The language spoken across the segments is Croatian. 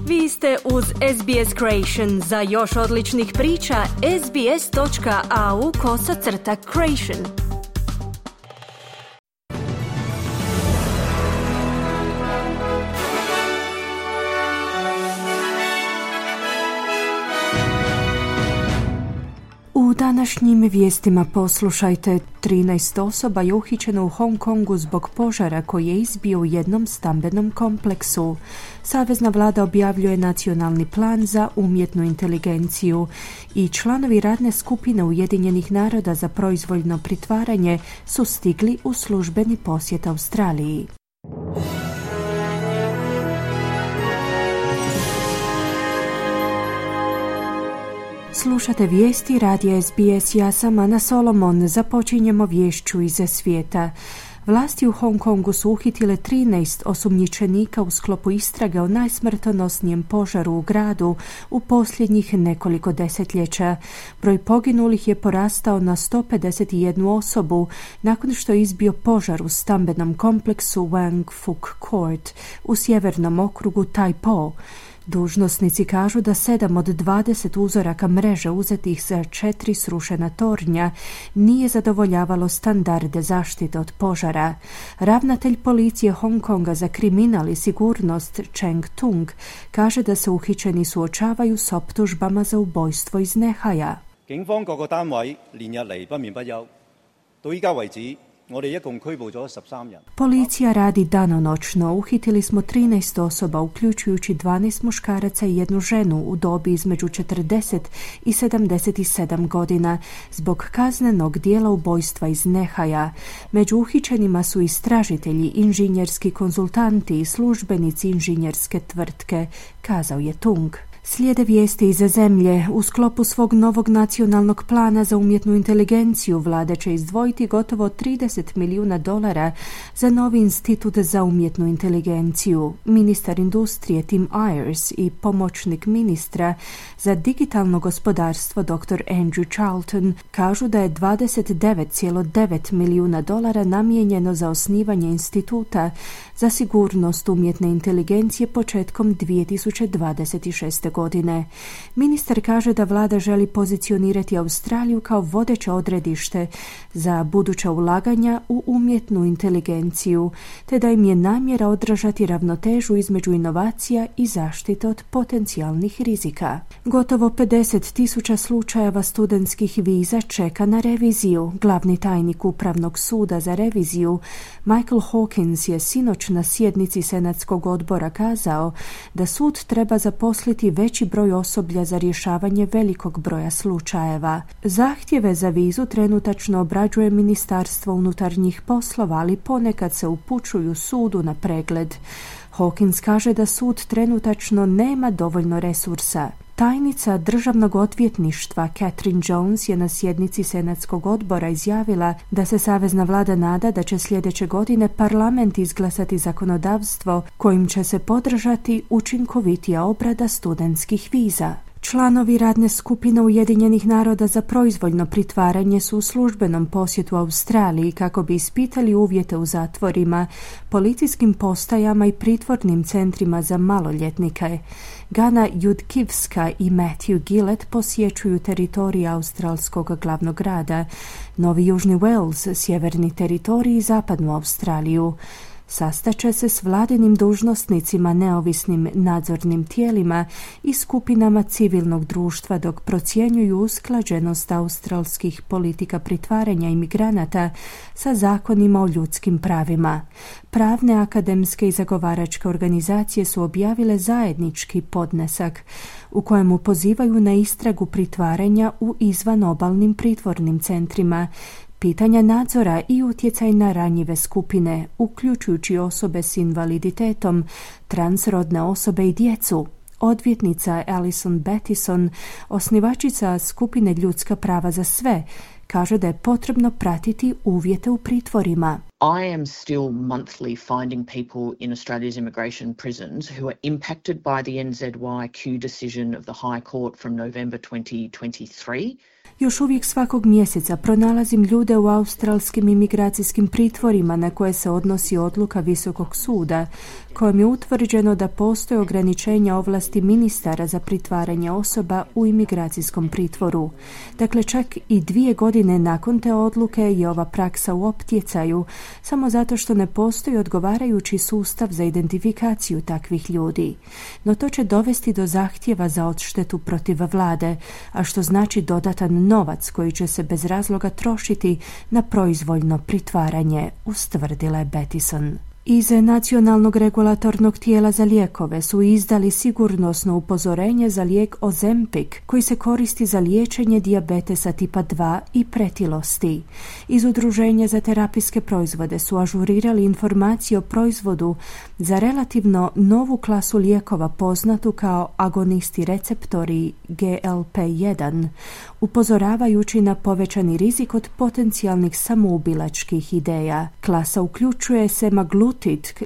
Vi ste uz SBS Creation. Za još odličnih priča, sbs.au/creation. U današnjim vijestima poslušajte, 13 osoba je uhićeno u Hong Kongu zbog požara koji je izbio u jednom stambenom kompleksu. Savezna vlada objavljuje nacionalni plan za umjetnu inteligenciju i članovi radne skupine Ujedinjenih naroda za proizvoljno pritvaranje su stigli u službeni posjet Australiji. Slušate vijesti radija SBS, ja sam Ana Solomon. Započinjemo viješću iz svijeta. Vlasti u Hong Kongu su uhitile 13 osumnjičenika u sklopu istrage o najsmrtonosnijem požaru u gradu u posljednjih nekoliko desetljeća. Broj poginulih je porastao na 151 osobu nakon što je izbio požar u stambenom kompleksu Wang Fuk Court u sjevernom okrugu Tai Po. Dužnosnici kažu da 7 od 20 uzoraka mreže uzetih za 4 srušena tornja nije zadovoljavalo standarde zaštite od požara. Ravnatelj policije Hong Konga za kriminal i sigurnost Cheng Tung kaže da se uhićeni suočavaju s optužbama za ubojstvo iz nehaja. Policija radi danonoćno. Uhitili smo 13 osoba, uključujući 12 muškaraca i jednu ženu u dobi između 40 i 77 godina zbog kaznenog dijela ubojstva iz nehaja. Među uhićenima su istražitelji, inženjerski konzultanti i službenici inženjerske tvrtke, kazao je Tung. Slijede vijesti iz zemlje. U sklopu svog novog nacionalnog plana za umjetnu inteligenciju vlada će izdvojiti gotovo $30 milijuna za novi institut za umjetnu inteligenciju. Ministar industrije Tim Ayers i pomoćnik ministra za digitalno gospodarstvo Dr. Andrew Charlton kažu da je $29,9 milijuna namijenjeno za osnivanje instituta za sigurnost umjetne inteligencije početkom 2026. godine. Ministar kaže da vlada želi pozicionirati Australiju kao vodeće odredište za buduća ulaganja u umjetnu inteligenciju, te da im je namjera održati ravnotežu između inovacija i zaštite od potencijalnih rizika. Gotovo 50,000 slučajeva studentskih viza čeka na reviziju. Glavni tajnik Upravnog suda za reviziju Michael Hawkins je sinoć na sjednici Senatskog odbora kazao da sud treba zaposliti veći broj osoblja za rješavanje velikog broja slučajeva. Zahtjeve za vizu trenutačno obrađuje Ministarstvo unutarnjih poslova, ali ponekad se upućuju sudu na pregled. Hawkins kaže da sud trenutačno nema dovoljno resursa. Tajnica državnog odvjetništva Catherine Jones je na sjednici Senatskog odbora izjavila da se savezna vlada nada da će sljedeće godine parlament izglasati zakonodavstvo kojim će se podržati učinkovitija obrada studentskih viza. Članovi radne skupine Ujedinjenih naroda za proizvoljno pritvaranje su u službenom posjetu Australiji kako bi ispitali uvjete u zatvorima, policijskim postajama i pritvornim centrima za maloljetnike. Gana Judkivska i Matthew Gillett posjećuju teritorij australskog glavnog grada, Novi Južni Wales, sjeverni teritorij i zapadnu Australiju. Sastaće se s vladinim dužnosnicima, neovisnim nadzornim tijelima i skupinama civilnog društva dok procjenjuju usklađenost australskih politika pritvaranja imigranata sa zakonima o ljudskim pravima. Pravne, akademske i zagovaračke organizacije su objavile zajednički podnesak u kojemu pozivaju na istragu pritvaranja u izvanobalnim pritvornim centrima, pitanja nadzora i utjecaj na ranjive skupine, uključujući osobe s invaliditetom, transrodne osobe i djecu. Odvjetnica Alison Battison, osnivačica skupine Ljudska prava za sve, kaže da je potrebno pratiti uvjete u pritvorima. I am still monthly finding people in Australia's immigration prisons who are impacted by the NZYQ decision of the High Court from November 2023. Još uvijek svakog mjeseca pronalazim ljude u australskim imigracijskim pritvorima na koje se odnosi odluka Visokog suda, kojom je utvrđeno da postoje ograničenja ovlasti ministara za pritvaranje osoba u imigracijskom pritvoru. Dakle, čak i 2 godine nakon te odluke je ova praksa u optjecaju, samo zato što ne postoji odgovarajući sustav za identifikaciju takvih ljudi. No to će dovesti do zahtjeva za odštetu protiv vlade, a što znači dodatan novac koji će se bez razloga trošiti na proizvoljno pritvaranje, ustvrdila je Bettison. Iz Nacionalnog regulatornog tijela za lijekove su izdali sigurnosno upozorenje za lijek Ozempic, koji se koristi za liječenje dijabetesa tipa 2 i pretilosti. Iz Udruženja za terapijske proizvode su ažurirali informacije o proizvodu za relativno novu klasu lijekova poznatu kao agonisti receptori GLP-1, upozoravajući na povećani rizik od potencijalnih samoubilačkih ideja. Klasa uključuje semaglutid,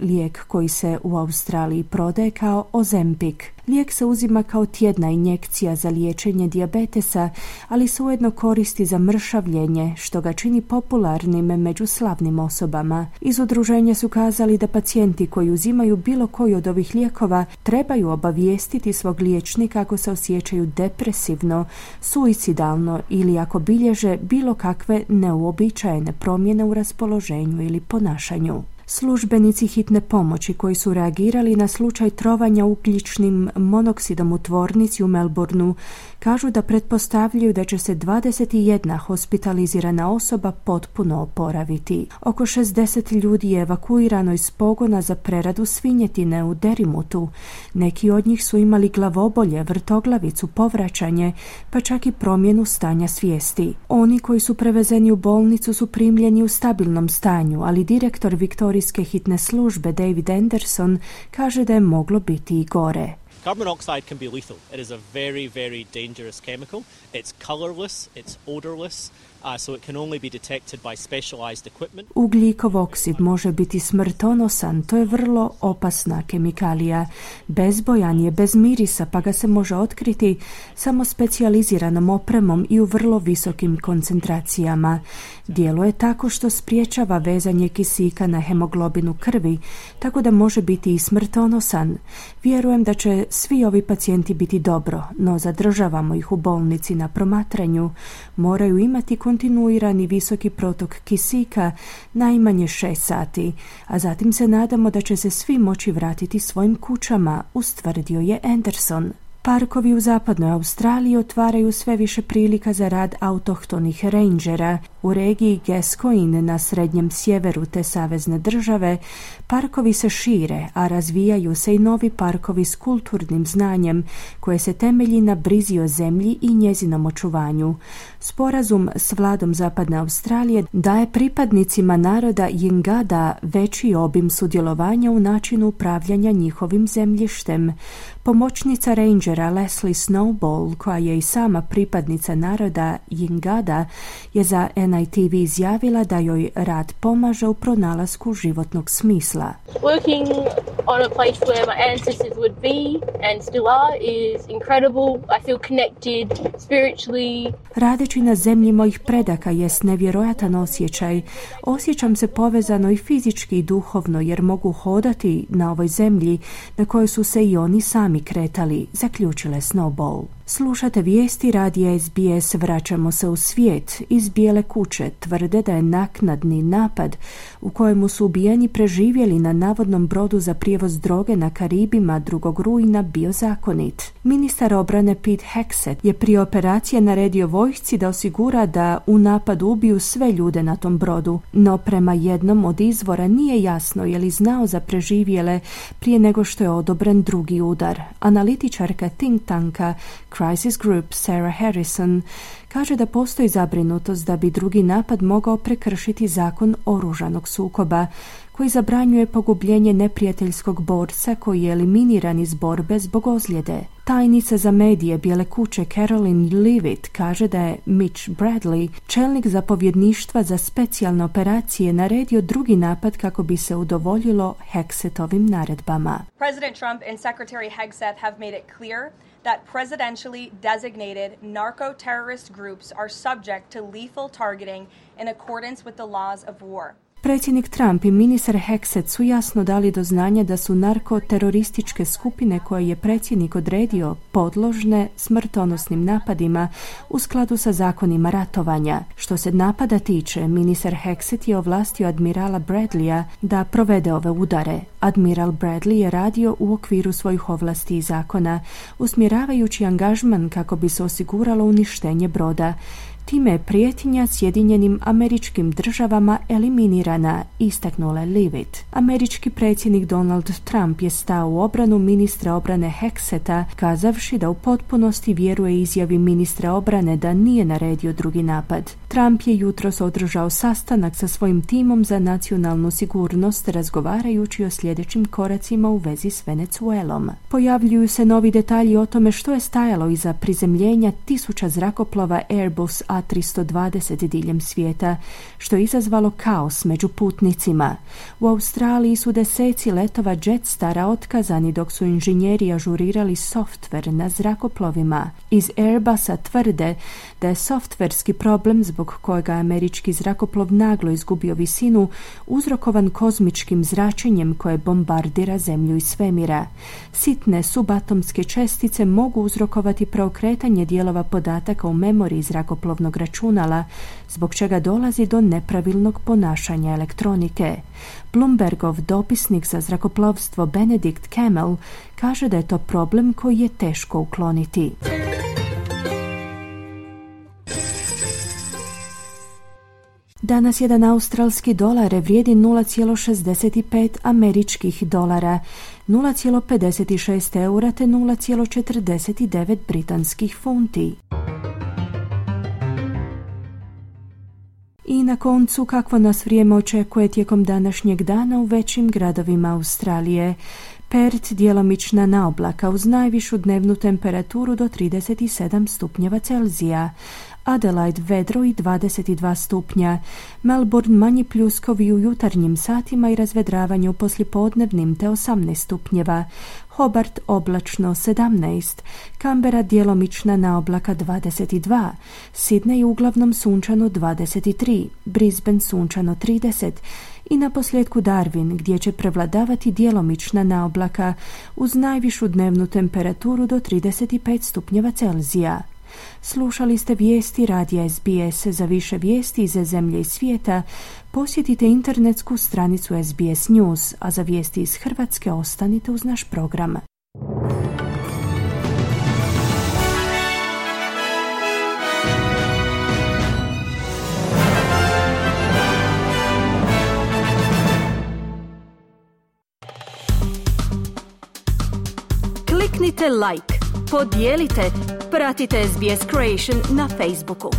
lijek koji se u Australiji prodaje kao Ozempic. Lijek se uzima kao tjedna injekcija za liječenje dijabetesa, ali se ujedno koristi za mršavljenje, što ga čini popularnim među slavnim osobama. Iz udruženja su kazali da pacijenti koji uzimaju bilo koji od ovih lijekova trebaju obavijestiti svog liječnika ako se osjećaju depresivno, suicidalno ili ako bilježe bilo kakve neuobičajene promjene u raspoloženju ili ponašanju. Službenici hitne pomoći koji su reagirali na slučaj trovanja ugljičnim monoksidom u tvornici u Melbourneu kažu da pretpostavljaju da će se 21 hospitalizirana osoba potpuno oporaviti. Oko 60 ljudi je evakuirano iz pogona za preradu svinjetine u Derimutu. Neki od njih su imali glavobolje, vrtoglavicu, povraćanje, pa čak i promjenu stanja svijesti. Oni koji su prevezeni u bolnicu su primljeni u stabilnom stanju, ali direktor Viktorijske hitne službe David Anderson kaže da je moglo biti i gore. Carbon monoxide can be lethal. It is a very, very dangerous chemical. It's colorless, it's odorless, so it can only be detected by specialized equipment. Ugljikov oksid može biti smrtonosan, to je vrlo opasna kemikalija. Bezbojan je, bez mirisa, pa ga se može otkriti samo specijaliziranom opremom i u vrlo visokim koncentracijama. Djeluje tako što spriječava vezanje kisika na hemoglobinu krvi, tako da može biti i smrtonosan. Vjerujem da će svi ovi pacijenti biti dobro, no zadržavamo ih u bolnici na promatranju. Moraju imati kontinuirani visoki protok kisika najmanje 6 sati, a zatim se nadamo da će se svi moći vratiti svojim kućama, ustvrdio je Anderson. Parkovi u zapadnoj Australiji otvaraju sve više prilika za rad autohtonih rangera. U regiji Gascoyne na srednjem sjeveru te savezne države parkovi se šire, a razvijaju se i novi parkovi s kulturnim znanjem koje se temelji na brizi o zemlji i njezinom očuvanju. Sporazum s vladom zapadne Australije daje pripadnicima naroda Jingada veći obim sudjelovanja u načinu upravljanja njihovim zemljištem. Pomoćnica rangera Leslie Snowball, koja je i sama pripadnica naroda Jingada, je za NITV izjavila da joj rad pomaže u pronalasku životnog smisla. Working on a place where my ancestors would be and still are is incredible. I feel connected spiritually. Radeći na zemlji mojih predaka jest nevjerojatan osjećaj. Osjećam se povezano i fizički i duhovno jer mogu hodati na ovoj zemlji na kojoj su se i oni sami kretali, zaključila Snowball. Slušate vijesti radija SBS, vraćamo se u svijet. Iz Bijele kuće tvrde da je naknadni napad u kojemu su ubijeni preživjeli na navodnom brodu za prijevoz droge na Karibima 2. rujna bio zakonit. Ministar obrane Pete Hegseth je prije operacije naredio vojsci da osigura da u napadu ubiju sve ljude na tom brodu, no prema jednom od izvora nije jasno je li znao za preživjele prije nego što je odobren drugi udar. Analitičarka think tanka Crisis Group Sarah Harrison kaže da postoji zabrinutost da bi drugi napad mogao prekršiti zakon oružanog sukoba, koji zabranjuje pogubljenje neprijateljskog borca koji je eliminiran iz borbe zbog ozljede. Tajnica za medije Bijele kuće Caroline Leavitt kaže da je Mitch Bradley, čelnik zapovjedništva za specijalne operacije, naredio drugi napad kako bi se udovoljilo Hegsetovim naredbama. President Trump and Secretary Hegseth have made it clear that presidentially designated narco-terrorist groups are subject to lethal targeting in accordance with the laws of war. Predsjednik Trump i ministar Hegseth su jasno dali do znanja da su narkoterorističke skupine koje je predsjednik odredio podložne smrtonosnim napadima u skladu sa zakonima ratovanja. Što se napada tiče, ministar Hegseth je ovlastio admirala Bradleya da provede ove udare. Admiral Bradley je radio u okviru svojih ovlasti i zakona, usmjeravajući angažman kako bi se osiguralo uništenje broda. Time je prijetnja Sjedinjenim Američkim Državama eliminirana, istaknula je Leavitt. Američki predsjednik Donald Trump je stao u obranu ministra obrane Hegseta, kazavši da u potpunosti vjeruje izjavi ministra obrane da nije naredio drugi napad. Trump je jutros održao sastanak sa svojim timom za nacionalnu sigurnost, razgovarajući o sljedećim koracima u vezi s Venezuelom. Pojavljuju se novi detalji o tome što je stajalo iza prizemljenja tisuća zrakoplova Airbus A320 diljem svijeta, što je izazvalo kaos među putnicima. U Australiji su deseci letova Jetstara otkazani dok su inženjeri ažurirali softver na zrakoplovima. Iz Airbusa tvrde da je softverski problem zbog kojega je američki zrakoplov naglo izgubio visinu uzrokovan kozmičkim zračenjem koje bombardira zemlju i svemira. Sitne subatomske čestice mogu uzrokovati preokretanje dijelova podataka u memoriji zrakoplovnog računala, zbog čega dolazi do nepravilnog ponašanja elektronike. Bloombergov dopisnik za zrakoplovstvo Benedict Camel kaže da je to problem koji je teško ukloniti. Danas jedan australski dolar vrijedi 0,65 američkih dolara, 0,56 eura te 0,49 britanskih funti. I na koncu, kakvo nas vrijeme očekuje tijekom današnjeg dana u većim gradovima Australije. Perth djelomična naoblaka uz najvišu dnevnu temperaturu do 37 stupnjeva Celzija. Adelaide vedro i 22 stupnja. Melbourne manji pljuskovi u jutarnjim satima i razvedravanje u poslijepodnevnim te 18 stupnjeva. Hobart oblačno 17. Canberra djelomična naoblaka 22. Sydney uglavnom sunčano 23. Brisbane sunčano 30. I na posljedku Darwin, gdje će prevladavati djelomična naoblaka uz najvišu dnevnu temperaturu do 35 stupnjeva Celzija. Slušali ste vijesti radija SBS. Za više vijesti iz zemlje i svijeta posjetite internetsku stranicu SBS News, a za vijesti iz Hrvatske ostanite uz naš program. Kliknite like, podijelite, pratite SBS Creation na Facebooku.